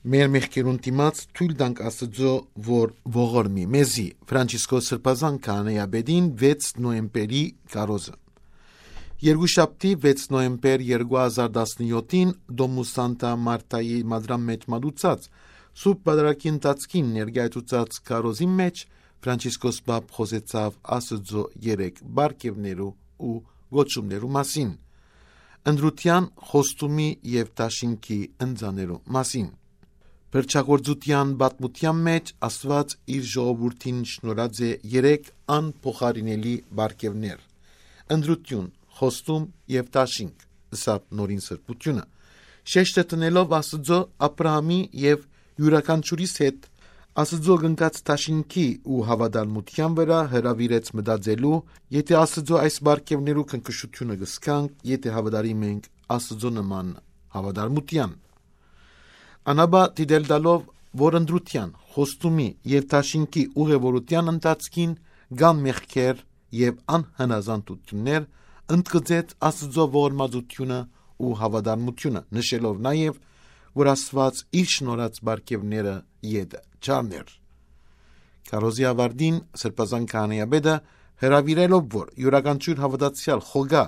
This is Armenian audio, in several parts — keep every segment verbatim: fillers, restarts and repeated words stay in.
Մեր մեղքերուն դիմաց թույլ տանք Աստծո, որ ողորմի մեզի։ Ֆրանցիսկոս Սրբազան քահանայապետին վեց նոյեմբերի կարոզը։ Երկուշաբթի վեց նոյեմբեր երկու հազար տասնյոթին Դոմուս Սանտա Մարտայի մադրամ մեջ մատուցած Սուրբ Պատարագի ընթացքին ներկայացուցած կարոզի մեջ Ֆրանցիսկոս Պապ խոսեցավ Աստծո երեք բարգևներու ու գոչումներու մասին, ընդրության, խոստումի եւ դաշինքի ընձաներու մասին։ Փրկչագործության պատմության մեջ Աստված իր ժողովրդին շնորհած է երեք անփոխարինելի բարգևներ՝ ընդրություն, խոստում եւ դաշինք, ըստ նորին սրբությունը, շեշտը տնելով Աստծո Աբրահամի եւ յուրաքանչյուրիս հետ Աստծո գնկած դաշինքի ու հավատարմության վրա հրավիրեց մտածելու, եթե Աստծո այս բարգևներու քնքշությունը գսկանք, եթե հավատարիմ ենք Աստծո նման հավատարմության։ Անաբա դիտել տալով, որ ընդրության, խոստումի եւ դաշինքի ուղևորության ընթացքին կան մեղքեր եւ անհնազանդություններ, ընդգծեց Աստծո ողորմածությունը ու հավատարմությունը, նշելով նաեւ, որ Աստված իր շնորհած բարգևները յետը չարներ։ Կարոզի ավարտին Սրբազան քահանայապետը հրավիրելով, որ յուրաքանչյուր հավատացյալ խոգա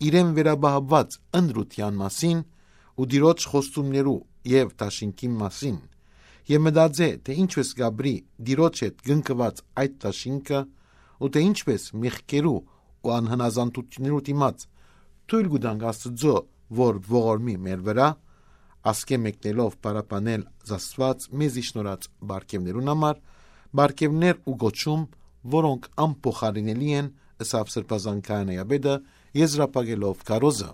իրեն վերաբահված ընդրության մասին ու Տիրոջ խոստումներու եւ դաշինքի մասին եւ մտածե, թե ինչպես գաբրի Տիրոջ հետ գնկված այդ դաշինքը ու թե ինչպես մեղքերու ու անհնազանդություններու դիմաց թույլ կտանք Աստծո, որ ողորմի մեր վրա, ասկե մեկնելով պարապանել Աստված մեզի շնորհած բարգևներուն համար, բարգևներ ու գոչում, որոնք անփոխարինելի են, ըստ Սրբազան քահանայապետը եզրափակելով կարոզը։